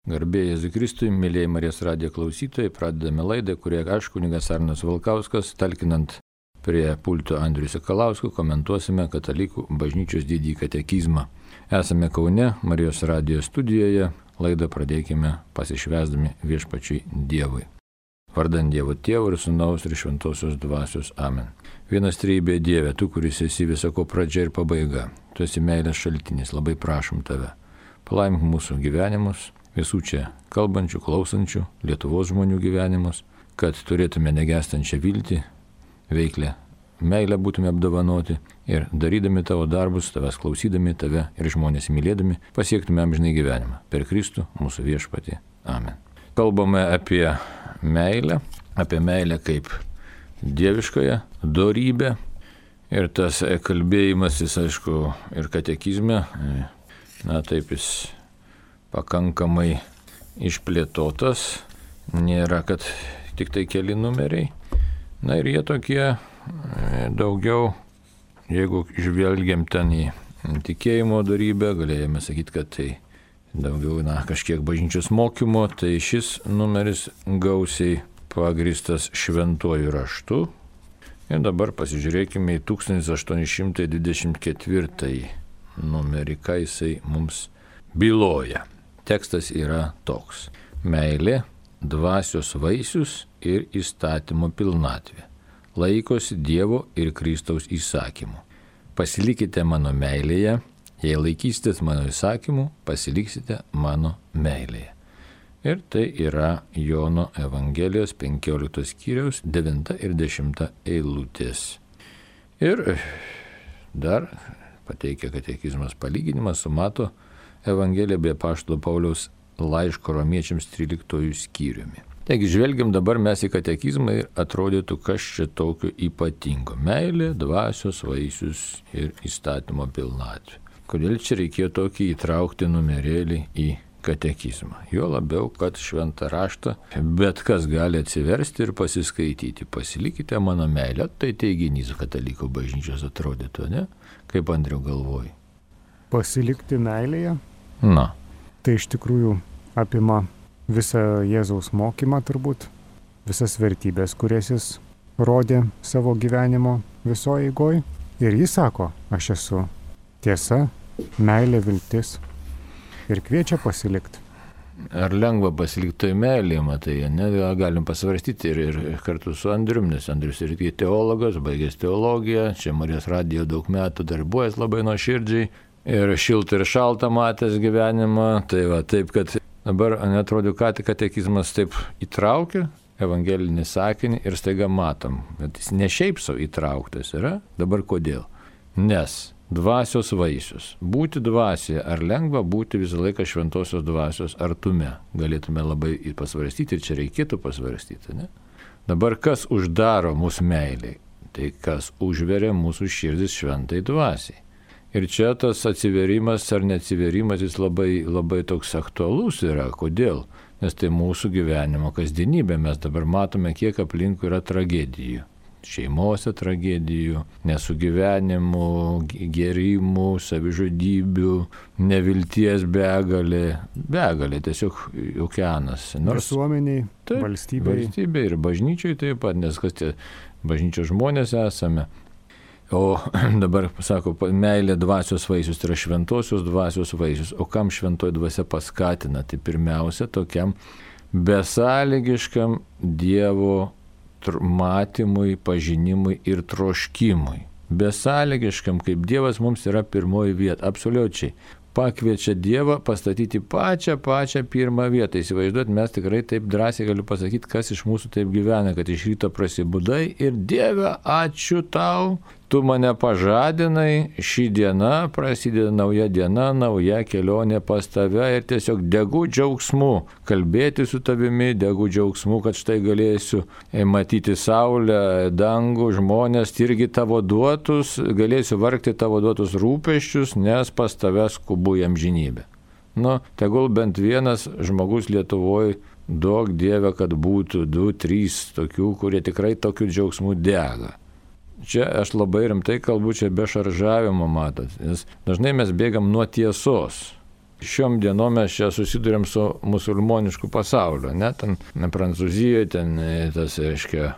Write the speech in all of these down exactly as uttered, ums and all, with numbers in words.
Garbė Jėzui Kristui, mėlyje Marijos radijo klausytojai, pradedame laidą, kurioje aš, kunigas Arnas Valkauskas, talkinant prie pulto Andriui Sakalauskui, komentuosime Katalikų bažnyčios didįjį katekizmą. Esame Kaune, Marijos radijo studijoje, laidą pradėkime pasišvęsdami viešpačiui Dievui. Vardant Dievo Tėvo ir Sūnaus ir Šventosios Dvasios. Amen. Vienas trejybė Dieve, tu, kuris esi visako pradžia ir pabaiga, tu esi meilės šaltinis, labai prašom tave. Palaimink mūsų gyvenimus, visų čia kalbančių, klausančių, Lietuvos žmonių gyvenimus, kad turėtume negestančią viltį, veiklę meilę būtume apdovanoti ir darydami tavo darbus, tavęs klausydami, tave ir žmonės mylėdami, pasiektume amžinai gyvenimą. Per Kristų mūsų viešpatį. Amen. Kalbame apie meilę, apie meilę kaip dieviškąją dorybę ir tas kalbėjimas, jis aišku, ir katekizme, na taip jis pakankamai išplėtotas, nėra, kad tik tai keli numeriai. Na ir jie tokie daugiau, jeigu žvelgiam ten į tikėjimo dorybę, galėjome sakyti, kad tai daugiau, na, kažkiek bažnyčios mokymo, tai šis numeris gausiai pagristas šventuoju raštu. Ir dabar pasižiūrėkime į tūkstantis aštuoni šimtai dvidešimt ketvirtąjį numerį, ką jisai mums byloja. Tekstas yra toks. Meilė, dvasios vaisius ir įstatymo pilnatvė. Laikosi Dievo ir Kristaus įsakymų. Pasilikite mano meilėje, jei laikysitės mano įsakymų, pasiliksite mano meilėje. Ir tai yra Jono Evangelijos penkioliktos skyriaus devinta ir dešimta eilutės. Ir dar pateikia katekizmas palyginimas su Mato Evangelija bei apaštalo Pauliaus laiško romiečiams tryliktuoju skyriumi. Taigi žvelgiam dabar mes į katekizmą ir atrodytų, kas čia tokio ypatingo. Meilė, dvasios vaisius ir įstatymo pilnatvė. Kodėl čia reikėjo tokį įtraukti numerėlį į katekizmą? Jo labiau, kad šventą raštą bet kas gali atsiversti ir pasiskaityti. Pasilikite mano meilę, tai teiginys katalikų bažnyčios atrodytų, ne? Kaip Andriau galvoji? Pasilikti meilėje? Na. Tai iš tikrųjų apima visą Jėzaus mokymą turbūt, visas vertybės, kurias jis rodė savo gyvenimo visoje eigoj. Ir jis sako, aš esu tiesa, meilė, viltis ir kviečia pasilikti. Ar lengva pasilikti toj meilėje, matai, ne? Galim pasvarstyti ir, ir kartu su Andrium, nes Andrius irgi teologas, baigęs teologiją, čia Marijos radijo daug metų darbuojas labai nuoširdžiai. Ir šiltą ir šaltą matęs gyvenimą, tai va, taip, kad dabar netrodo, ką tik katekizmas taip įtraukia evangelinį sakinį ir staiga matom, kad jis ne šiaip savo įtrauktas yra, dabar kodėl? Nes dvasios vaisius, būti dvasioje, ar lengva būti visą laiką šventosios dvasios artume, galėtume labai pasvarstyti ir čia reikėtų pasvarstyti, ne? Dabar kas uždaro mūsų meiliai? Tai kas užveria mūsų širdis šventai dvasiai. Ir čia tas atsiverimas ar neatsiverimas jis labai, labai toks aktualus yra. Kodėl? Nes tai mūsų gyvenimo kasdienybė. Mes dabar matome, kiek aplinkui yra tragedijų. Šeimose tragedijų, nesugyvenimų, gėrimų, savižudybių, nevilties begalė. Begalė, tiesiog okeanas. Nors visuomeniai, valstybei. Valstybei ir bažnyčiai taip pat, nes kas tie bažnyčios žmonės esame. O dabar, sako, meilė dvasios vaisius, tai yra šventosios dvasios vaisius. O kam šventoji dvasia paskatina? Tai pirmiausia, tokiam besąlygiškam Dievo matymui, pažinimui ir troškimui. Besąlygiškam, kaip Dievas mums yra pirmoji vieta, absoliučiai. Pakviečia Dievą pastatyti pačią, pačią pirmą vietą. Įsivaizduot, mes tikrai taip drąsiai galiu pasakyti, kas iš mūsų taip gyvena, kad iš ryto prasibudai ir Dieve, ačiū tau, tu mane pažadinai, ši diena prasideda nauja diena, nauja kelionė pas tave ir tiesiog degu džiaugsmu kalbėti su tavimi, degu džiaugsmu, kad štai galėsiu matyti saulę, dangų, žmonės, irgi tavo duotus, galėsiu vargti tavo duotus rūpesčius, nes pas tave skubu į amžinybę. Nu, tegul bent vienas žmogus Lietuvoje, duok Dieve, kad būtų du, trys tokių, kurie tikrai tokiu džiaugsmu dega. Čia aš labai rimtai kalbu, čia be šaržavimo matot, nes dažnai mes bėgam nuo tiesos. šiom dienom mes čia susidurėm su musulmonišku pasauliu, ne, ten ne, Prancūzijoje, ten tas, reiškia,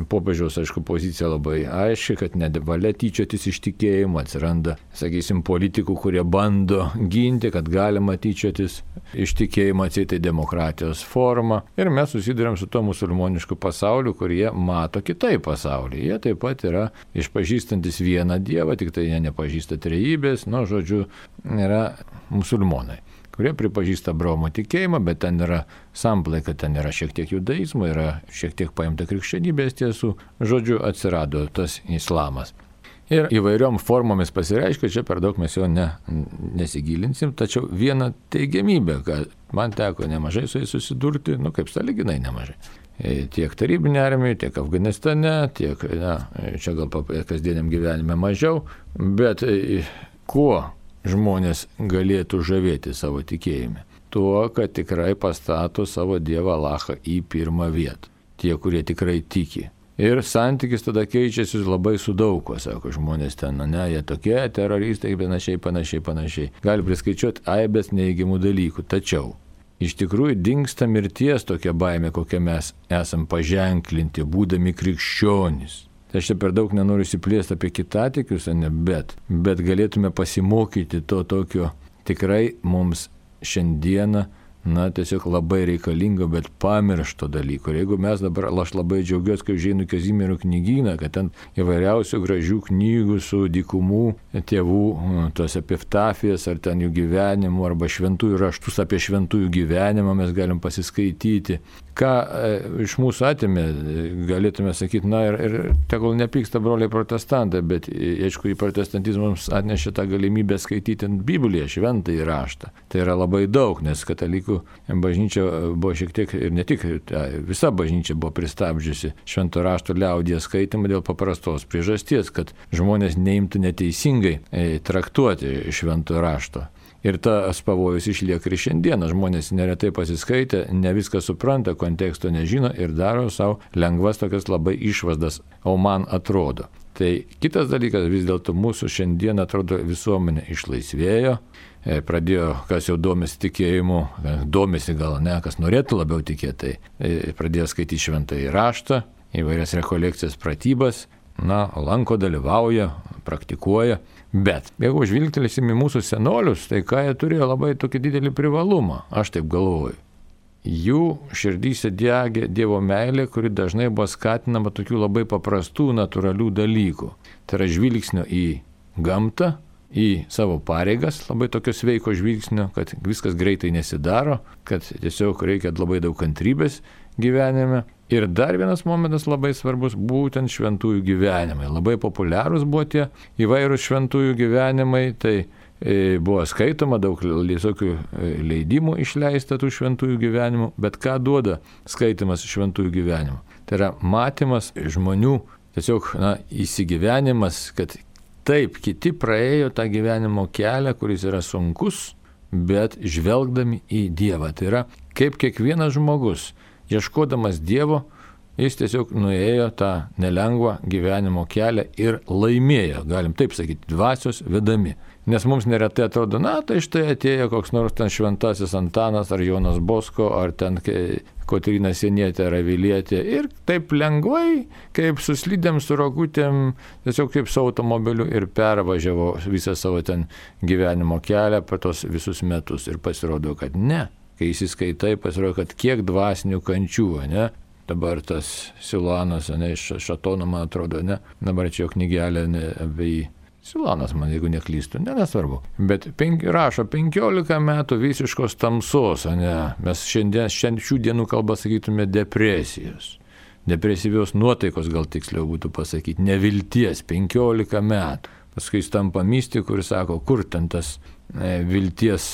popiežiaus, aišku, pozicija labai aiški, kad nevalia tyčiotis iš tikėjimo, atsiranda, sakysim, politikų, kurie bando ginti, kad galima tyčiotis iš tikėjimo, atseit tai demokratijos forma. Ir mes susidurėm su to musulmonišku pasauliu, kurie mato kitaip pasaulį. Jie taip pat yra išpažįstantis vieną dievą, tik tai jie nepažįsta trejybės, nu, žodžiu, yra musulmonai, kurie pripažįsta Abraomo tikėjimą, bet ten yra samplaika, ten yra šiek tiek judaizmo, yra šiek tiek paimta krikščionybės tiesų, žodžiu, atsirado tas islamas. Ir įvairiom formomis pasireiškia, čia per daug mes jo ne, nesigilinsim, tačiau viena teigiamybė, kad man teko nemažai su jais susidurti, nu kaip sąlyginai nemažai. Tiek tarybinė armija, tiek Afganistane, tiek, na, čia gal kasdieniam gyvenime mažiau, bet kuo žmonės galėtų žavėti savo tikėjime? Tuo, kad tikrai pastato savo Dievą Alachą į pirmą vietą. Tie, kurie tikrai tiki. Ir santykis tada keičiasi labai su daug ko, sako žmonės ten, ne, jie tokie teroristai, panašiai, panašiai, panašiai. Gali priskaičiuoti aibės neįgimų dalykų. Tačiau iš tikrųjų dingsta mirties tokia baimė, kokią mes esam paženklinti, būdami krikščionys. Tai aš čia per daug nenoriu įsiplėsti apie kitatikius, ne, bet, bet galėtume pasimokyti to tokio tikrai mums šiandieną, na, tiesiog labai reikalingo, bet pamiršto dalyko. Ir jeigu mes dabar, aš labai džiaugiuosi, kai užeinu Kazimiero knygyną, kad ten įvairiausių gražių knygų su dykumų tėvų, tos epiftafijas, ar ten jų gyvenimų, arba šventųjų raštus apie šventųjų gyvenimą mes galim pasiskaityti. Ką e, iš mūsų atėmė, galėtume sakyti, na ir, ir tegul nepyksta broliai protestantai, bet aišku, į protestantizmą mums atnešė tą galimybę skaityti Bibliją, šventąjį raštą. Tai yra labai daug, nes katalikų bažnyčia buvo šiek tiek, ir ne tik, visa bažnyčia buvo pristabdžiusi švento rašto liaudyje skaitimą dėl paprastos priežasties, kad žmonės neimtų neteisingai e, traktuoti švento rašto. Ir tas pavojus išlieka ir šiandieną. Žmonės neretai pasiskaitę, ne viską supranta, konteksto nežino ir daro savo lengvas tokias labai išvadas, o man atrodo. Tai kitas dalykas, vis dėlto mūsų šiandien atrodo visuomenė išlaisvėjo, pradėjo, kas jau domisi tikėjimu, domisi gal ne, kas norėtų labiau tikėti, tai pradėjo skaityti šventąjį raštą, įvairias rekolekcijas, pratybas, na, lanko, dalyvauja, praktikuoja. Bet jeigu žvilgtelėsim į mūsų senolius, tai ką jie turėjo labai tokį didelį privalumą, aš taip galvoju. Jų širdyse degė Dievo meilė, kuri dažnai buvo skatinama tokių labai paprastų, natūralių dalykų. Tai yra žvilgsnio į gamtą, į savo pareigas, labai tokio sveiko žvilgsnio, kad viskas greitai nesidaro, kad tiesiog reikia labai daug kantrybės gyvenime. Ir dar vienas momentas labai svarbus, būtent šventųjų gyvenimai. Labai populiarūs buvo tie įvairūs šventųjų gyvenimai, tai e, buvo skaitoma daug visokių leidimų išleista tų šventųjų gyvenimų, bet ką duoda skaitimas šventųjų gyvenimų? Tai yra matymas žmonių, tiesiog, na, įsigyvenimas, kad taip, kiti praėjo tą gyvenimo kelią, kuris yra sunkus, bet žvelgdami į Dievą. Tai yra, kaip kiekvienas žmogus, ieškodamas Dievo, jis tiesiog nuėjo tą nelengvą gyvenimo kelią ir laimėjo, galim taip sakyti, dvasios vedami. Nes mums neretai atrodo, na, tai štai atėjo koks nors ten šventasis Antanas ar Jonas Bosko, ar ten Kotryna Sienietė ar Avilietė. Ir taip lengvai, kaip su slidėm, su rogutėm, tiesiog kaip su automobiliu ir pervažiavo visą savo ten gyvenimo kelią per tos visus metus. Ir pasirodo, kad ne. Kai įsiskaitai, pasirodo, kad kiek dvasinių kančių, ne? Dabar tas Silanas, ne, iš Šatono, man atrodo, ne? Dabar čia jo knygelė, ne, apie jį. Silanas, man, jeigu neklystu, ne, nesvarbu. Bet penki, rašo penkiolika metų visiškos tamsos, ne? Mes šiandien, šiandien šių dienų kalbą sakytume depresijos. Depresyvios nuotaikos, gal tiksliau būtų pasakyti, nevilties, penkiolika metų. Paskui jis tampa mistiku ir sako, kur ten tas e, vilties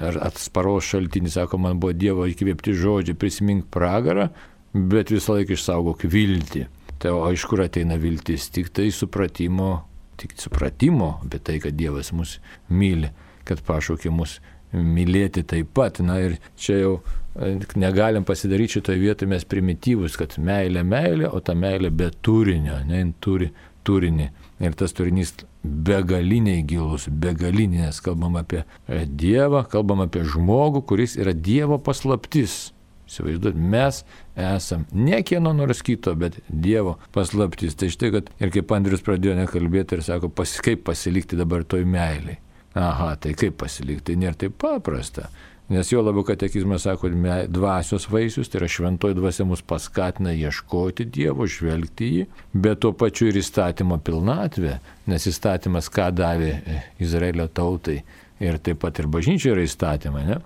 ar atsparos šaltinis, sako, man buvo Dievo įkvėpti žodžiai, prisimink pragarą, bet visą laiką išsaugok viltį. Tai o iš kur ateina viltis? Tik tai supratimo, tik supratimo apie tai, kad Dievas mus myli, kad pašaukė mus mylėti taip pat. Na ir čia jau negalim pasidaryti šitoje vietoje mes primityvus, kad meilė, meilė, o ta meilė be turinio, ne, jin turi turinį. Ir tas turinys begaliniai gilus, begalinės. Kalbam apie Dievą, kalbam apie žmogų, kuris yra Dievo paslaptis. Įsivaizduot, mes esam ne kieno nors kito, bet Dievo paslaptis. Tai štai, kad ir kaip Andrius pradėjo nekalbėti ir sako, pas, kaip pasilikti dabar toj meiliai. Aha, tai kaip pasilikti, tai nėra taip paprasta. Nes jo labiau katekizmas sako, dvasios vaisius, tai yra šventoji dvasia mus paskatina ieškoti Dievo, žvelgti jį, bet tuo pačiu ir įstatymo pilnatvė, nes įstatymas ką davė Izraelio tautai ir taip pat ir bažnyčioje yra įstatymai, ne?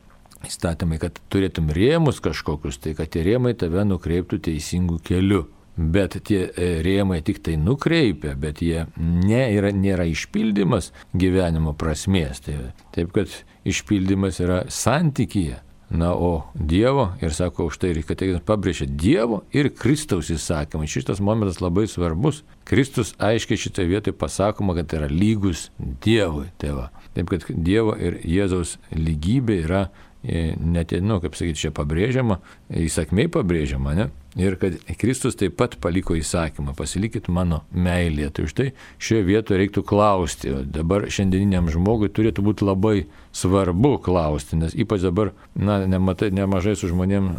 Įstatymai, kad turėtum rėmus kažkokius, tai kad tie rėmai tave nukreiptų teisingų kelių. Bet tie rėmai tik tai nukreipia, bet jie ne, yra, nėra išpildymas gyvenimo prasmės. Tai, taip, kad išpildymas yra santykyje. Na, o Dievo, ir sako, už tai reikia pabrėžti Dievo ir Kristaus įsakymai. Šitas momentas labai svarbus. Kristus aiškiai šitoje vietoje pasakoma, kad yra lygus Dievui. Tai va. Taip, kad Dievo ir Jėzaus lygybė yra net, nu, kaip sakyti, čia pabrėžiama, įsakmiai pabrėžiama, ne? Ir kad Kristus taip pat paliko įsakymą, pasilikit mano meilėje. Tai už tai šioje vietoje reiktų klausti. O dabar šiandieniniam žmogui turėtų būti labai svarbu klausti, nes ypač dabar, na, nematai, nemažai su žmonėm,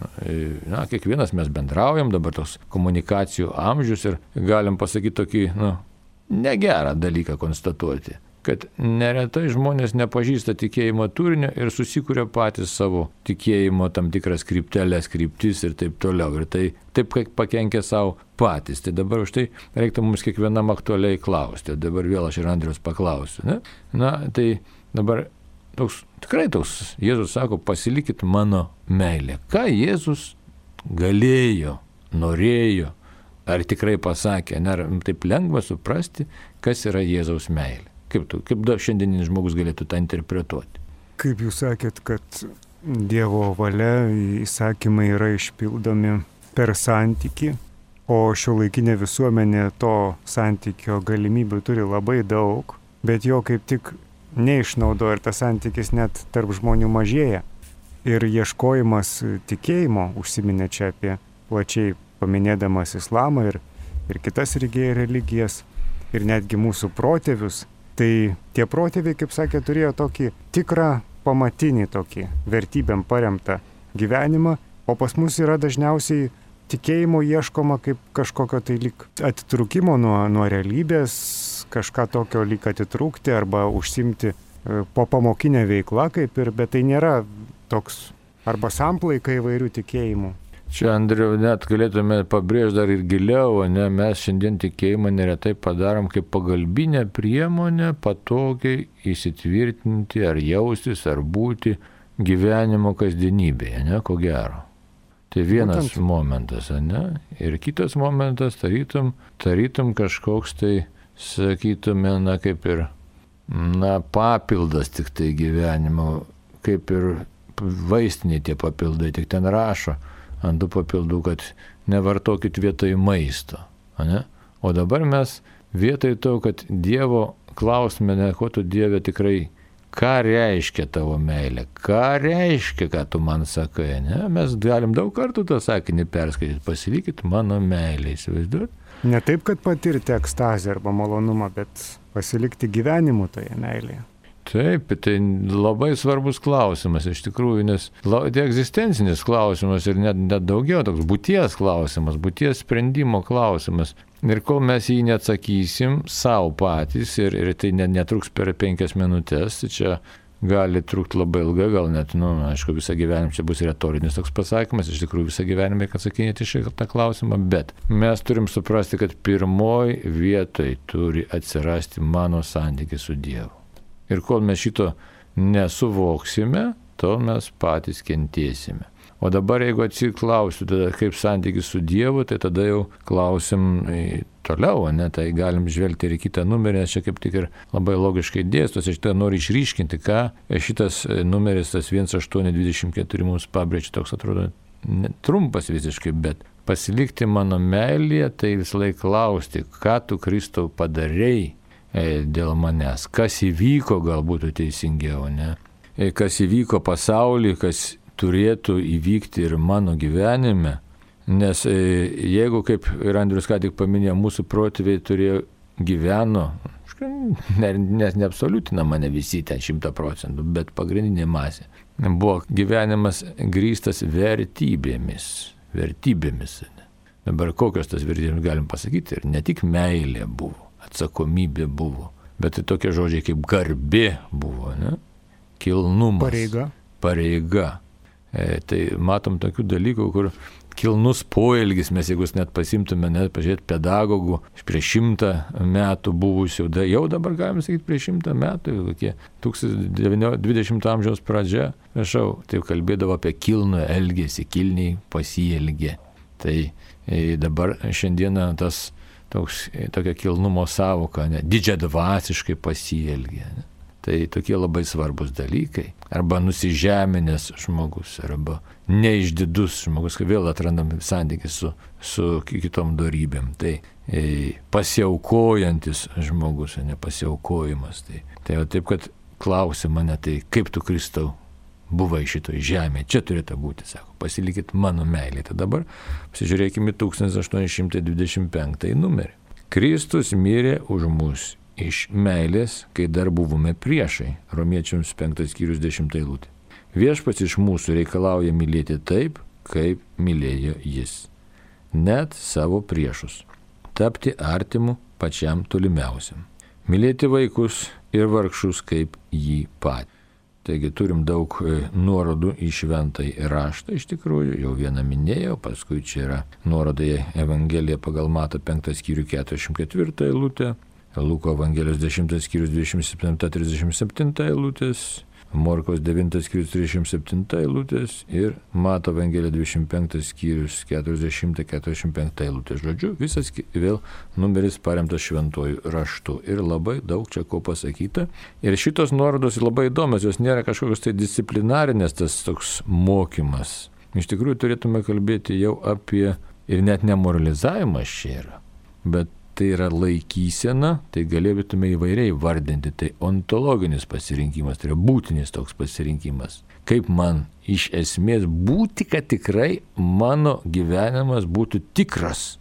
na, kiekvienas mes bendraujam, dabar tos komunikacijų amžius ir galim pasakyti tokį, nu, negerą dalyką konstatuoti. Kad neretai žmonės nepažįsta tikėjimo turinio ir susikuria patys savo tikėjimo tam tikras kryptelės, kryptis ir taip toliau. Ir tai taip pakenkia savo patys. Tai dabar už tai reiktų mums kiekvienam aktualiai klausti. Dabar vėl aš ir Andrius paklausiu. Ne? Na, tai dabar toks, tikrai toks, Jėzus sako, pasilikit mano meilę. Ką Jėzus galėjo, norėjo, ar tikrai pasakė, ar taip lengva suprasti, kas yra Jėzaus meilė. Kaip, tu, kaip da šiandieninis žmogus galėtų tą interpretuoti? Kaip jūs sakėt, kad Dievo valia įsakymai yra išpildomi per santykį, o šiuolaikinė visuomenė to santykio galimybių turi labai daug, bet jo kaip tik neišnaudoja ir tas santykis net tarp žmonių mažėja. Ir ieškojimas tikėjimo, užsiminė čia apie plačiai paminėdamas islamą ir, ir kitas religijas, ir netgi mūsų protėvius. Tai tie protėviai, kaip sakė, turėjo tokį tikrą pamatinį tokį vertybėm paremtą gyvenimą, o pas mus yra dažniausiai tikėjimo ieškoma kaip kažkokio tai lyg atitrūkimo nuo, nuo realybės, kažką tokio lyg atitrūkti arba užsimti po pamokinę veiklą kaip ir, bet tai nėra toks arba samplaika įvairių tikėjimų. Čia, Andriau, net galėtume pabrėžti dar ir giliau, ne, mes šiandien tikėjimą neretai padarom kaip pagalbinę priemonę patogiai įsitvirtinti ar jaustis, ar būti gyvenimo kasdienybėje, ne, ko gero. Tai vienas Būtent. momentas, ne, ir kitas momentas, tarytum, tarytum kažkoks tai, sakytume, na, kaip ir, na, papildas tik tai gyvenimo, kaip ir vaistiniai tie papildai, tik ten rašo ant tų papildų, kad nevartokit vietoj maisto. Ne? O dabar mes vietoj to, kad Dievo klausime, ne, ko tu Dieve tikrai, ką reiškia tavo meilė, ką reiškia, ką tu man sakai. Ne? Mes galim daug kartų tą sakinį perskaityti, pasilikit mano meilė, įsivaizduot? Ne taip, kad patirti ekstazę arba malonumą, bet pasilikti gyvenimu toje meilėje. Taip, tai labai svarbus klausimas iš tikrųjų, nes tai egzistencinis klausimas ir net, net daugiau toks būties klausimas, būties sprendimo klausimas. Ir kol mes jį neatsakysim savo patys ir, ir tai netruks per penkias minutės, tai čia gali trukti labai ilgai, gal net, nu, aišku, visą gyvenimą čia bus retorinis toks pasakymas, iš tikrųjų visą gyvenimą reikia atsakinėti šitą klausimą, bet mes turim suprasti, kad pirmoj vietoj turi atsirasti mano santykis su Dievu. Ir kol mes šito nesuvoksime, tol mes patys kentėsime. O dabar, jeigu atsiklausiu, tada kaip santykis su Dievu, tai tada jau klausim toliau, ne? Tai galim žvelgti ir į kitą numerį, nes čia kaip tik ir labai logiškai dėstos. Aš šitą noriu išryškinti, ką šitas numeris, tas vienas aštuoni dvidešimt keturi mums pabrėžia, toks atrodo trumpas visiškai, bet pasilikti mano meilėje, tai visą laiką klausti, ką tu, Kristau, padarei dėl manęs, kas įvyko, galbūt teisingiau, ne? Kas įvyko pasaulyje, kas turėtų įvykti ir mano gyvenime, nes jeigu, kaip ir Andrius ką tik paminėjo, mūsų protėviai turėjo gyveno, nes ne, neabsoliutina mane visi ten šimtą procentų, bet pagrindinė masė. Buvo gyvenimas grįstas vertybėmis. Vertybėmis. Dabar kokios tas vertybės galim pasakyti? Ir ne tik meilė buvo, atsakomybė buvo, bet ir tokie žodžiai kaip garbė buvo, ne? Kilnumas. Pareiga. Pareiga. E, tai matom tokių dalykų, kur kilnus poelgis, mes jeigu net pasimtume, net pažiūrėti pedagogų prieš šimtą metų buvusių, da, jau dabar galime sakyti prieš šimtą metų, kokie dvidešimto amžiaus pradžia, prašau, tai kalbėdavo apie kilnų elgesį, kilniai pasielgė. Tai e, dabar šiandieną tas toks, tokia kilnumo savoka, ne, didžiadvasiškai pasielgė. Ne. Tai tokie labai svarbus dalykai. Arba nusižeminęs žmogus, arba neišdidus žmogus, kai vėl atrandam santykį su, su kitom dorybėm. Tai e, pasiaukojantis žmogus, ne pasiaukojimas. Tai, tai taip, kad klausia mane, tai kaip tu, Kristau, buvai šitoj žemėje, čia turėtų būti, sako, pasilikit mano meilė. Tai dabar pasižiūrėkime tūkstantis aštuoni šimtai dvidešimt penktąjį numerį. Kristus mirė už mus iš meilės, kai dar buvome priešai. Romiečiams penktas skyrius dešimta eilutė. Viešpats iš mūsų reikalauja mylėti taip, kaip mylėjo jis. Net savo priešus. Tapti artimu pačiam tolimiausiam. Mylėti vaikus ir vargšus kaip jį patį. Taigi turim daug nuorodų į šventąjį raštą, iš tikrųjų, jau vieną minėjau, paskui čia yra nuoroda į Evangeliją pagal Matą penktas skyrių keturiasdešimt ketvirtą eilutę, Luko Evangelijos dešimtas skyrius dvidešimt septinta trisdešimt septinta eilutės, Morkaus devintas skyrius trisdešimt septinta eilutės ir Mato Evangelija dvidešimt penktas skyrius keturiasdešimt keturiasdešimt penktą eilutės. Žodžiu, visas vėl numeris paremtas šventuoju raštu ir labai daug čia ko pasakyta. Ir šitos nuorodos labai įdomios, jos nėra kažkokios tai disciplinarinės, tas toks mokymas. Iš tikrųjų turėtume kalbėti jau apie, ir net nemoralizavimas čia yra, bet tai yra laikysena, tai galėtume įvairiai vardinti, tai ontologinis pasirinkimas, tai yra būtinis toks pasirinkimas. Kaip man iš esmės būti, kad tikrai mano gyvenimas būtų tikras.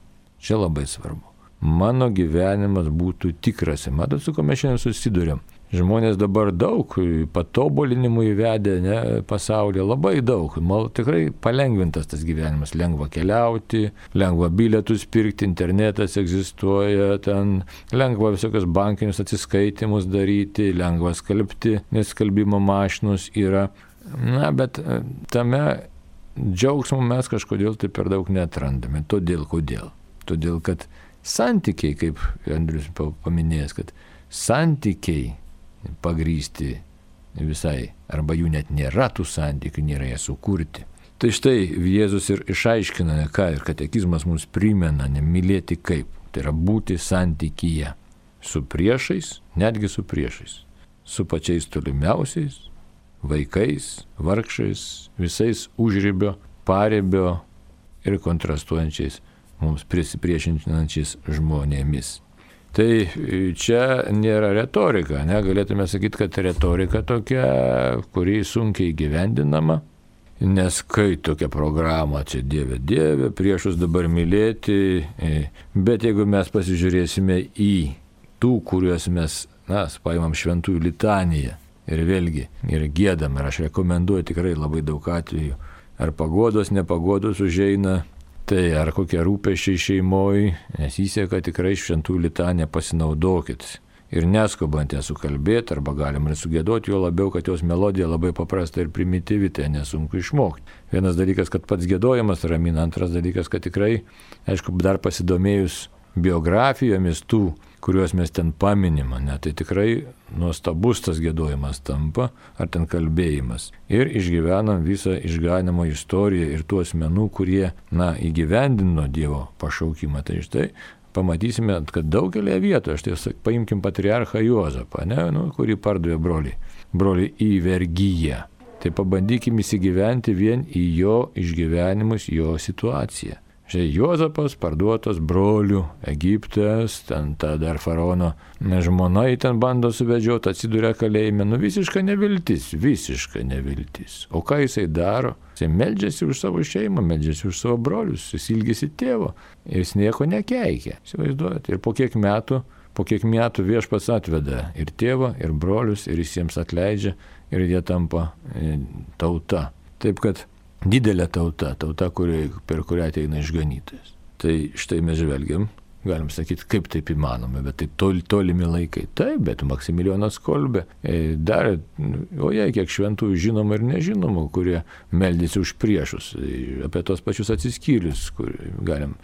Čia labai svarbu. Mano gyvenimas būtų tikras. Matot, su ko mes šiandien susiduriam. Žmonės dabar daug patobulinimų įvedė, ne, pasaulyje, labai daug. Mal, tikrai palengvintas tas gyvenimas. Lengva keliauti, lengva bilietus pirkti, internetas egzistuoja, ten lengva visokios bankinius atsiskaitimus daryti, lengva skalbti, nes skalbimo mašinos yra. Na, bet tame džiaugsmo mes kažkodėl tai per daug neatrandame. Todėl, kodėl? Todėl, kad santykiai, kaip Andrius paminėjęs, kad santykiai pagrįsti visai, arba jų net nėra tų santykių, nėra jie sukurti. Tai štai Jėzus ir išaiškina, ne ką, ir katekizmas mums primena, nemylėti kaip. Tai yra būti santykyje su priešais, netgi su priešais, su pačiais tolimiausiais, vaikais, vargšais, visais užribio, paribio ir kontrastuojančiais, mums prisipriešinančiais žmonėmis. Tai čia nėra retorika, ne? Galėtume sakyti, kad retorika tokia, kuri sunkiai gyvendinama, nes kai tokia programa, čia Dieve, Dieve, priešus dabar mylėti, bet jeigu mes pasižiūrėsime į tų, kuriuos mes, na, paimam šventųjų litaniją ir vėlgi, ir giedam, ir aš rekomenduoju tikrai labai daug atvejų, ar pagodos, nepagodos užeina, tai ar kokie rūpesčiai šeimoj, nes įseka tikrai šventųjų litaniją pasinaudokit. Ir neskubant ją sukalbėti, arba galim ir sugėdoti, jo labiau, kad jos melodija labai paprasta ir primityvi, tai nesunku išmokti. Vienas dalykas, kad pats gėdojimas ramina, antras dalykas, kad tikrai, aišku, dar pasidomėjus biografijomis tų, kuriuos mes ten paminim, ne, tai tikrai nuostabus tas gėdojimas tampa, ar ten kalbėjimas. Ir išgyvenam visą išganimo istoriją ir tų asmenų, kurie, na, įgyvendino Dievo pašaukimą. Tai štai pamatysime, kad daugelėje vietoje, štai paimkim patriarchą Juozapą, ne, nu, kurį pardavė broliai, broliai į vergyją. Tai pabandykim įsigyventi vien į jo išgyvenimus, jo situaciją. Štai Juozapas parduotas brolių, Egiptas, ten ta dar faraono žmona į ten bando suvedžioti, atsiduria kalėjime, nu visiška neviltis, visiška neviltis. O ką jisai daro? Jisai meldžiasi už savo šeimą, meldžiasi už savo brolius, jis ilgisi tėvo ir jis nieko nekeikia, įsivaizduojate. Ir po kiek metų po kiek metų viešpats atveda ir tėvą, ir brolius, ir jis jiems atleidžia, ir jie tampa tauta. Taip kad didelė tauta, tauta, kuri, per kurią ateina išganytojas. Tai štai mes žvelgiam, galim sakyti, kaip taip įmanoma, bet tai tol, tolimi laikai. Taip, bet Maksimilijonas Kolbė darė, o jei kiek šventųjų žinoma ir nežinoma, kurie meldėsi už priešus, apie tos pačius atsiskyrius, kur galim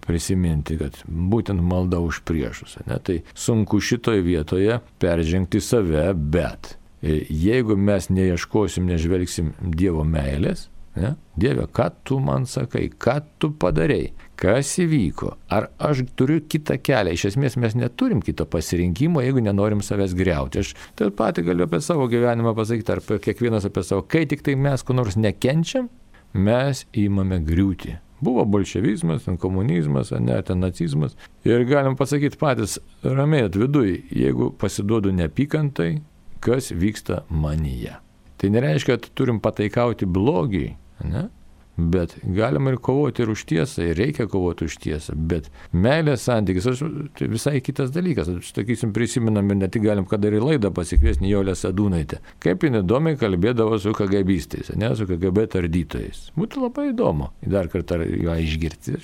prisiminti, kad būtent malda už priešus. Ne? Tai sunku šitoje vietoje peržengti save, bet jeigu mes neieškosim, nežvelgsim Dievo meilės, ne? Dieve, ką tu man sakai, ką tu padarei, kas įvyko, ar aš turiu kitą kelią. Iš esmės mes neturim kito pasirinkimo, jeigu nenorim savęs griauti. Aš taip pat galiu apie savo gyvenimą pasakyti, ar kiekvienas apie savo, kai tik tai mes ko nors nekenčiam, mes įmame griūti. Buvo bolševizmas, ten komunizmas, ne, ten nacizmas. Ir galim pasakyti patys ramiai viduj, jeigu pasiduodu neapykantai, kas vyksta manyje. Tai nereiškia, kad turim pataikauti blogiai, ne? Bet galima ir kovoti ir už tiesą, ir reikia kovoti už tiesą, bet meilės santykis, aš, tai visai kitas dalykas. Aš, sakysim, prisimenam ir ne tik galim, kad ir į laidą pasikviesti Nijolę Sadūnaitę. Kaip jin įdomiai kalbėdavo su KGBistais, ne, su KGB tardytojais. Būtų labai įdomu dar kartą ją išgirti.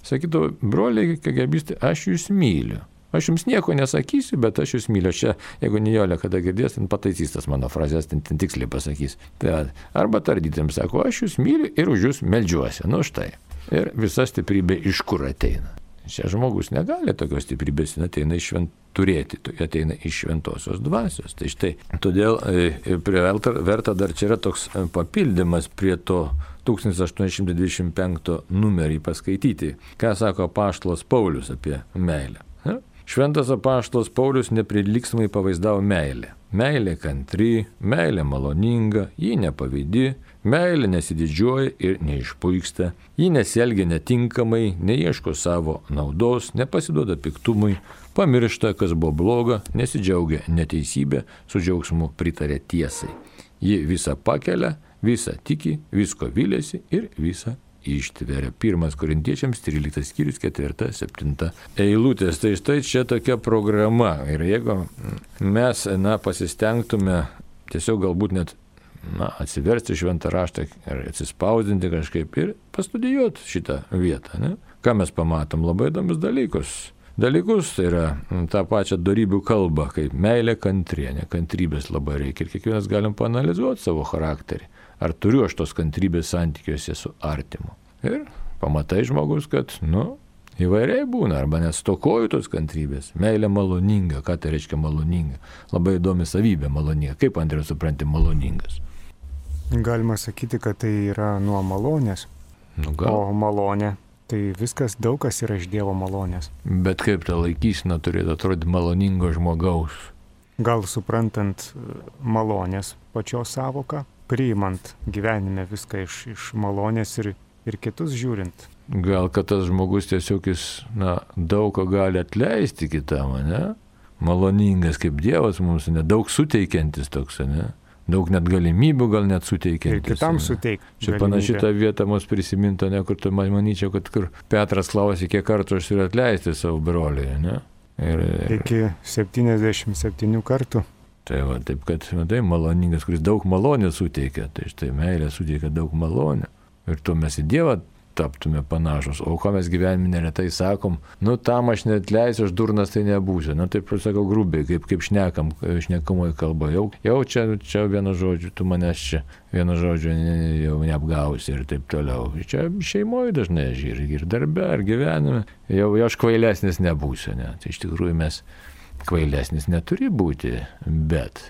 Sakytų, broliai KGBistai, aš jūs myliu. Aš jums nieko nesakysiu, bet aš jūs myliu. Čia, jeigu Nijolė kada girdės, ten pataisys tas mano frazės, ten, ten tiksliai pasakys. Tai, arba tardytėms sako, aš jūs myliu ir už jūs meldžiuosi. Nu štai. Ir visa stiprybė iš kur ateina. Čia žmogus negali tokios stiprybės, ateina iš švent, turėti, ateina iš šventosios dvasios. Tai štai, todėl verta dar čia yra toks papildymas prie to tūkstantis aštuoni šimtai dvidešimt penkto numerį paskaityti. Ką sako apaštalas Paulius apie meilę? Ne? Šventas apaštalas Paulius neprilygstamai pavaizdavo meilę. Meilė kantri, meilė maloninga, ji nepavydi, meilė nesididžiuoja ir neišpuiksta, ji nesielgia netinkamai, neieško savo naudos, nepasiduoda piktumui, pamiršta, kas buvo bloga, nesidžiaugia neteisybė, su džiaugsmu pritarė tiesai. Ji visą pakelia, visą tiki, visko viliasi ir visą ištveria. Pirmas Korintiečiams, tryliktas skyrius, ketvirta, septinta eilutės. Tai štai čia tokia programa. Ir jeigu mes, na, pasistengtume tiesiog galbūt net, na, atsiversti šventą raštą ir atsispausdinti kažkaip ir pastudijuoti šitą vietą, ne? Ką mes pamatom? Labai įdomius dalykus. Dalykus, tai yra tą pačią dorybių kalbą, kaip meilė kantrienė, kantrybės labai reikia. Ir kiekvienas galim paanalizuoti savo charakterį. Ar turiu aš tos kantrybės santykiuose su artimu. Ir pamatai žmogus, kad, nu, įvairiai būna, arba nestokoju tos kantrybės. Meilė maloninga, ką tai reiškia maloninga? Labai įdomi savybė maloninga. Kaip, Andriau, supranti maloningas? Galima sakyti, kad tai yra nuo malonės. Nu, gal. O malonė, tai viskas, daug kas yra iš Dievo malonės. Bet kaip ta laikysena turėtų atrodyti maloningo žmogaus? Gal suprantant malonės pačios savoką, priimant gyvenime viską iš, iš malonės ir, ir kitus žiūrint. Gal kad tas žmogus tiesiog jis, na, daug ko gali atleisti kitam, ne? Maloningas kaip Dievas mums, ne? Daug suteikiantis toks, ne? Daug net galimybių gal net suteikiantis. Ir kitam suteikti. Čia panaši ta vieta mus prisiminta, ne, kur tu manyčiau, kad kur Petras klausė, kiek kartų aš turiu atleisti savo broliui, ne? Ir, ir... Iki septyniasdešimt septynių kartų. Tai va, taip kad, tai maloningas, kuris daug malonės suteikia, tai štai meilė suteikia daug malonę. Ir tuo mes į Dievą taptume panašus. O ko mes gyvenime neretai sakom, nu tam aš neatleisiu, aš durnas tai nebūsiu. Nu taip sakau grubiai, kaip, kaip šnekam, šnekamoji kalba. Jau, jau čia, čia vienu žodžiu, tu manęs čia vienu žodžiu jau neapgausi ir taip toliau. Čia šeimoje dažnai ir, ir darbe, ir gyvenime. Jau, jau aš kvailesnis nebūsiu. Ne? Tai iš tikrųjų mes kvailesnis neturi būti, bet,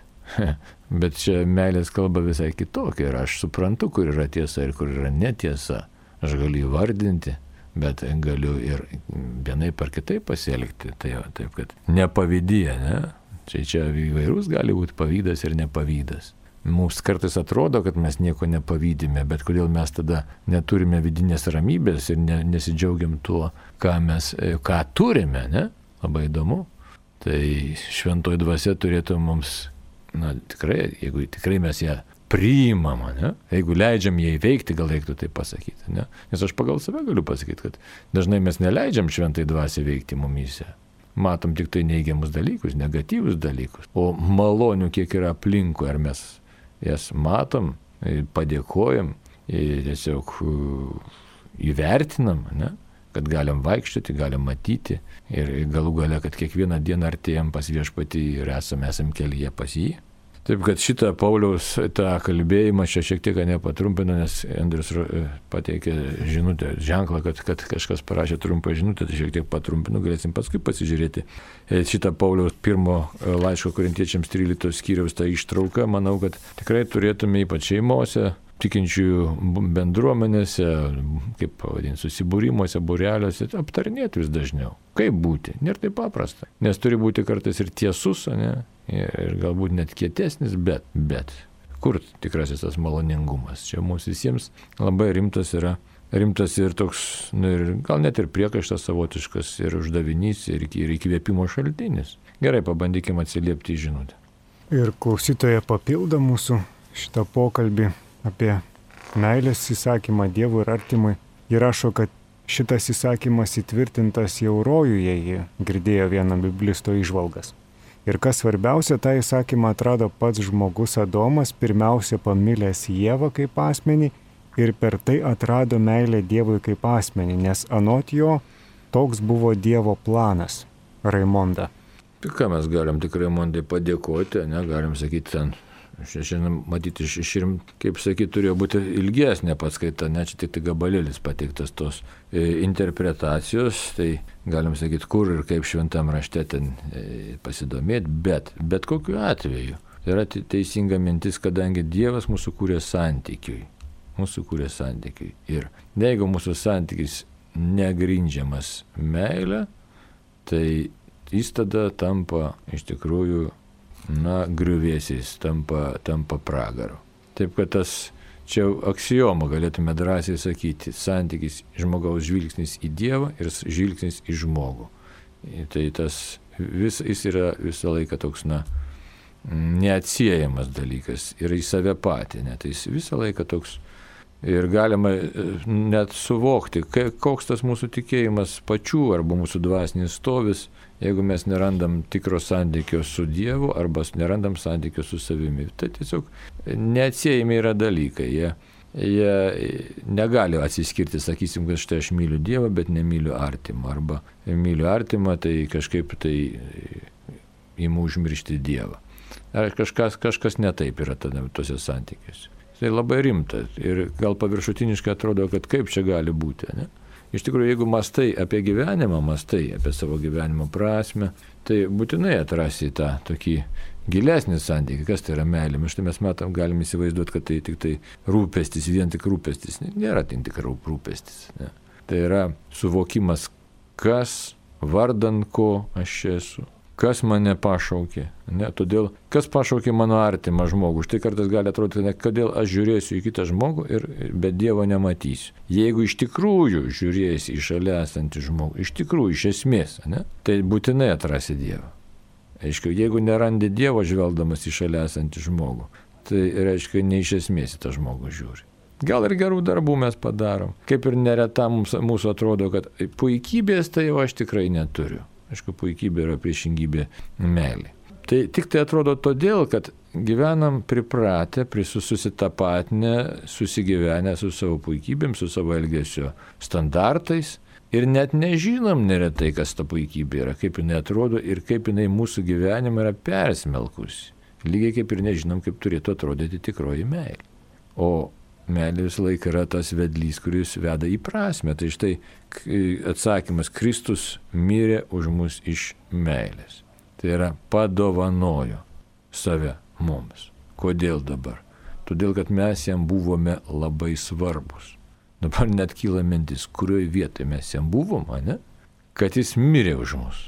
bet čia meilės kalba visai kitokia ir aš suprantu, kur yra tiesa ir kur yra netiesa. Aš galiu įvardinti, bet galiu ir vienaip ar kitaip pasielgti. Tai jau, taip, kad nepavydyje, ne? Čia, čia įvairūs gali būti pavydas ir nepavydas. Mums kartais atrodo, kad mes nieko nepavydime, bet kodėl mes tada neturime vidinės ramybės ir ne, nesidžiaugiam tuo, ką mes, ką turime, ne? Labai įdomu. Tai šventoji dvasia turėtų mums, na tikrai, jeigu tikrai mes ją priimam, ne? Jeigu leidžiam ją įveikti, gal reiktų tai pasakyti, ne? Nes aš pagal save galiu pasakyti, kad dažnai mes neleidžiam šventai dvasiai veikti mumyse. matom tik tai neigiamus dalykus, negatyvus dalykus, o malonių kiek yra aplinkui, ar mes jas matom, padėkojam, tiesiog įvertinam, ne? Kad galim vaikščioti, galim matyti ir galų gale, kad kiekvieną dieną artėjam pas viešpatį ir esam, esam kelyje pas jį. Taip, kad šitą Pauliaus tą kalbėjimą čia šiek tiek nepatrumpino, nes Andrius pateikė žinutę, ženklą, kad, kad kažkas parašė trumpą žinutę, tai šiek tiek patrumpino, galėsim paskui pasižiūrėti. Šitą Pauliaus pirmo laiško Korintiečiams trylikto skyriaus tą ištrauką, manau, kad tikrai turėtume ypač šeimose, tikinčiųjų bendruomenėse, kaip pavadinti, susibūrimuose, būreliuose, aptarinėti vis dažniau. Kaip būti? Nėra taip paprasta. Nes turi būti kartais ir tiesus, ne? Ir galbūt net kietesnis, bet, bet. Kur tikrasis tas maloningumas? Čia mums visiems labai rimtas yra, rimtas ir toks, nu, ir gal net ir priekaištas savotiškas, ir uždavinys, ir, ir įkvėpimo šaltinis. Gerai, pabandykime atsiliepti į žinutę. Ir klausytoja papildo mūsų šitą pokalbį apie meilės įsakymą Dievui ir artimui. Ji rašo, kad šitas įsakymas įtvirtintas jau rojuje, ji girdėjo vieną biblisto įžvalgas. Ir kas svarbiausia, tą įsakymą atrado pats žmogus Adomas, pirmiausia pamilęs Ievą kaip asmenį ir per tai atrado meilę Dievui kaip asmenį, nes anot jo toks buvo Dievo planas. Raimonda. Tai ką mes galim tik Raimondai padėkoti, ne, galim sakyti ten. Šiandien, matyti, išrimt, kaip sakyti, turėjo būti ilgesnė paskaita, ne, čia tik tai gabalėlis pateiktas tos e, interpretacijos, tai galim sakyti, kur ir kaip šventam rašte ten e, pasidomėti, bet, bet kokiu atveju yra teisinga mintis, kadangi Dievas mūsų kūrė santykiui, mūsų kūrė santykiui. Ir jeigu mūsų santykis negrindžiamas meilė, tai jis tada tampa iš tikrųjų na, griuvėsiais, tampa, tampa pragaru. Taip, kad tas čia aksioma galėtume drąsiai sakyti, santykis žmogaus žvilgsnis į Dievą ir žvilgsnis į žmogų. Tai tas vis, jis yra visą laiką toks, na, neatsiejamas dalykas ir į save patį, ne, tai jis visą laiką toks. Ir galima net suvokti, koks tas mūsų tikėjimas pačių arba mūsų dvasinis stovis, jeigu mes nerandam tikro santykio su Dievu arba nerandam santykio su savimi. Tai tiesiog neatsiejami yra dalykai. Jie, jie negali atsiskirti, sakysim, kad štai aš myliu Dievą, bet nemyliu artimą. Arba myliu artimą, tai kažkaip tai imu užmiršti Dievą. Ar kažkas, kažkas netaip yra tada tose santykiuose. Tai labai rimta ir gal paviršutiniškai atrodo, kad kaip čia gali būti. Ne? Iš tikrųjų, jeigu mastai apie gyvenimą, mastai apie savo gyvenimo prasme, tai būtinai atrasi tą tokį gilesnį santykį, kas tai yra meilė. Štai mes matom, galim įsivaizduoti, kad tai tik tai rūpestis, vien tik rūpestis. Nėra tik tik rūpestis. Ne? Tai yra suvokimas, kas, vardan ko aš esu. Kas mane pašaukė, ne, todėl, kas pašaukė mano artimą žmogų. Štai kartais gali atrodyti, ne, kodėl aš žiūrėsiu į kitą žmogų, ir, bet Dievo nematysiu. Jeigu iš tikrųjų žiūrėsi į šalia esantį žmogų, iš tikrųjų, iš esmės, ne, tai būtinai atrasi Dievą. Aišku, jeigu nerandi Dievo žvelgdamas į šalia esantį žmogų, tai reiškia, ne iš esmės į tą žmogų žiūri. Gal ir gerų darbų mes padarom. Kaip ir nereta mums, mūsų atrodo, kad puikybės tai jau aš tikrai neturiu. Aišku, puikybė yra priešingybė meilė. Tai tik tai atrodo todėl, kad gyvenam pripratę, susitapatinę, susigyvenę su savo puikybėm, su savo elgesio standartais ir net nežinom neretai, kas ta puikybė yra, kaip jinai atrodo ir kaip jinai mūsų gyvenimą yra persmelkusi. Lygiai kaip ir nežinom, kaip turėtų atrodyti tikroji meilė. O meilė visą laiką yra tas vedlys, kuris veda į prasmę. Tai štai atsakymas, Kristus mirė už mus iš meilės. Tai yra padovanojo save mums. Kodėl dabar? Todėl, kad mes jam buvome labai svarbus. Dabar net kyla mintis, kurioje vietoje mes jam buvom, ne? Kad jis mirė už mus.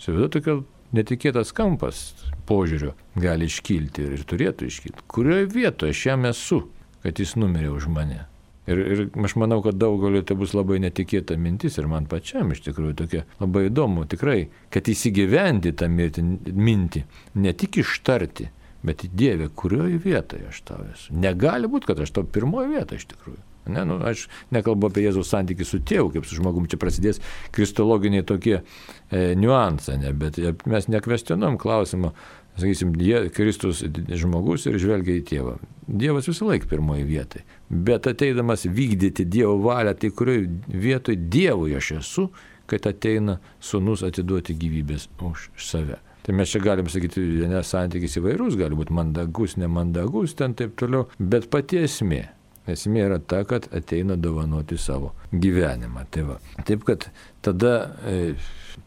Savita tokia netikėtas kampas požiūrio gali iškilti ir, ir turėtų iškilti. Kurioje vietoje aš jam esu, kad jis numirė už mane. Ir, ir aš manau, kad daugeliu tai bus labai netikėta mintis ir man pačiam iš tikrųjų tokia labai įdomu tikrai, kad įsigyventi tą mintį, ne tik ištarti, Bet Dieve, kurioje vietoje aš tau esu? Negali būti, kad aš tau pirmoje vietoje iš tikrųjų. Ne, nu, aš nekalbu apie Jėzaus santykį su tėvu, kaip su žmogumi, čia prasidės kristologiniai tokie e, niuansai, ne, bet mes nekvestionuom klausimą, sakysim, Kristus žmogus ir žvelgia į tėvą. Dievas visą laiką pirmoje vietoje, bet ateidamas vykdyti Dievo valią, tai kurioje vietoje Dievui aš esu, kad ateina sūnus atiduoti gyvybės už save. Tai mes čia galim sakyti, nes santykis įvairus, gali būti mandagus, nemandagus, ten taip toliau, bet pati esmė. Esmė yra ta, kad ateina dovanoti savo gyvenimą. Tai va. Taip, kad tada e,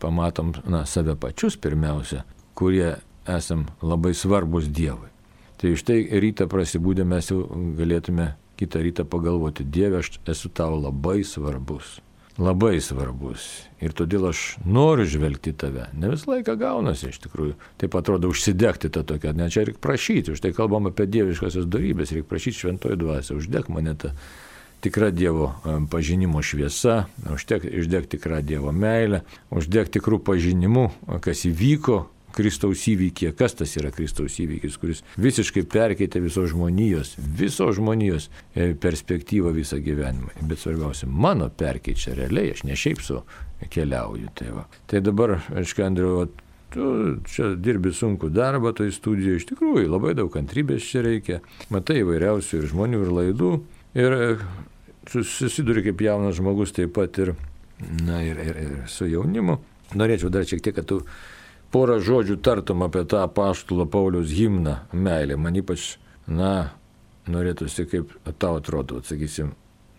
pamatom na, save pačius pirmiausia, kurie esam labai svarbus Dievui. Tai iš tai rytą prasibūdę mes jau galėtume kitą rytą pagalvoti, Dieve, aš esu tau labai svarbus. Labai svarbus. Ir todėl aš noriu žvelgti tave. Ne visą laiką gaunasi iš tikrųjų. Taip atrodo užsidegti tą tokią. Ne, čia reikia prašyti. Už tai kalbam apie dieviškasias dorybės. Reikia prašyti šventoji dvasia. Uždeg mane tą tikrą Dievo pažinimo šviesa. Uždeg, uždeg tikrą Dievo meilę. Uždeg tikrų pažinimų, kas įvyko Kristaus įvykį. Kas tas yra Kristaus įvykis, kuris visiškai perkeitė visos žmonijos, visos žmonijos perspektyvą visą gyvenimą. Bet svarbiausia, mano perkeičia realiai, aš ne šiaip su keliauju. Tai, va. Tai dabar, aišku, Andriu, tu čia dirbi sunku darbą, toj studijoje iš tikrųjų labai daug kantrybės čia reikia. Matai įvairiausių ir žmonių, ir laidų. Ir susiduri kaip jaunas žmogus taip pat ir, na, ir, ir, ir su jaunimu. Norėčiau dar šiek tiek, kad tu porą žodžių tartum apie tą apaštalo Pauliaus himną meilė. Man ypač, na, norėtųsi, kaip tau atrodo, sakysim,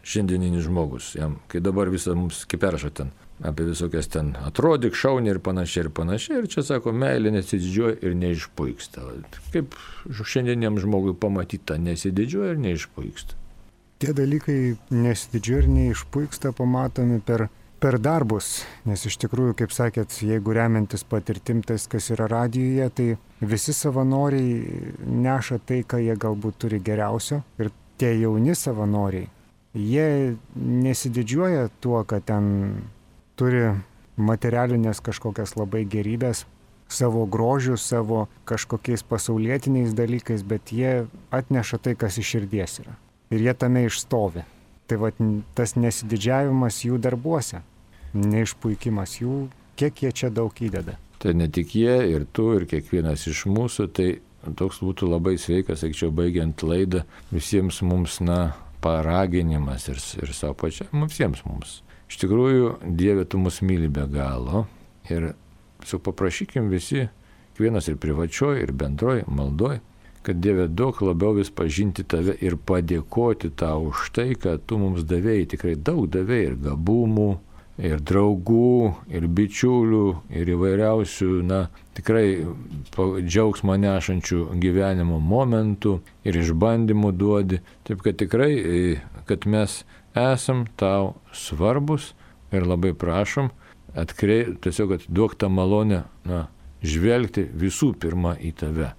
šiandieninis žmogus. Jam, kai dabar visą mums kaip perša ten, apie visokias ten atrodyk, šaunį ir panašiai ir panašiai. Ir čia sako, meilė nesididžiuoja ir neišpuiksta. Kaip šiandieniam žmogui pamatyti tą nesididžiuoja ir neišpuiksta. Tie dalykai nesididžiuoja ir neišpuiksta pamatomi per Per darbus, nes iš tikrųjų, kaip sakėt, jeigu remiantis patirtim tais, kas yra radijuje, tai visi savanoriai neša tai, ką jie galbūt turi geriausio. Ir tie jauni savanoriai, jie nesididžiuoja tuo, kad ten turi materialinės kažkokias labai gerybės, savo grožių, savo kažkokiais pasaulietiniais dalykais, bet jie atneša tai, kas iš širdies yra. Ir jie tame išstovi. Tai va, tas nesididžiavimas jų darbuose. Neišpuikimas jų, kiek jie čia daug įdeda. Tai ne tik jie, ir tu, ir kiekvienas iš mūsų, tai toks būtų labai sveikas, sakyčiau, baigiant laidą, visiems mums, na, paraginimas ir, ir savo pačiam, visiems mums. Iš tikrųjų, Dieve, tu mus myli be galo ir su paprašykim visi, kiekvienas ir privačioj, ir bendroj maldoj, kad Dieve daug labiau vis pažinti tave ir padėkoti tau už tai, kad tu mums davėjai, tikrai daug davėjai ir gabumų, ir draugų, ir bičiulių, ir įvairiausių, na, tikrai džiaugsmą nešančių gyvenimo momentų ir išbandymų duodi. Taip kad tikrai, kad mes esam tau svarbus ir labai prašom, atkrei, tiesiog, kad duok tą malonę, na, žvelgti visų pirma į tave.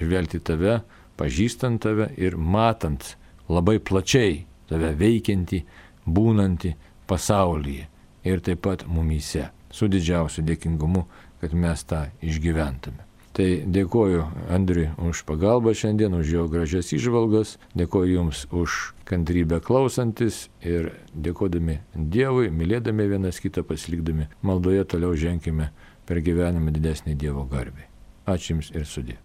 Žvelgti tave, pažįstant tave ir matant labai plačiai tave veikiantį, būnantį pasaulyje ir taip pat mumyse. Su didžiausiu dėkingumu, kad mes tą išgyventume. Tai dėkoju Andriui už pagalbą šiandien, už jo gražias įžvalgas, dėkoju Jums už kantrybę klausantis ir dėkodami Dievui, mylėdami vienas kitą, pasilikdami maldoje, toliau ženkime per gyvenimą didesnį Dievo garbę. Ačiū Jums ir sudie.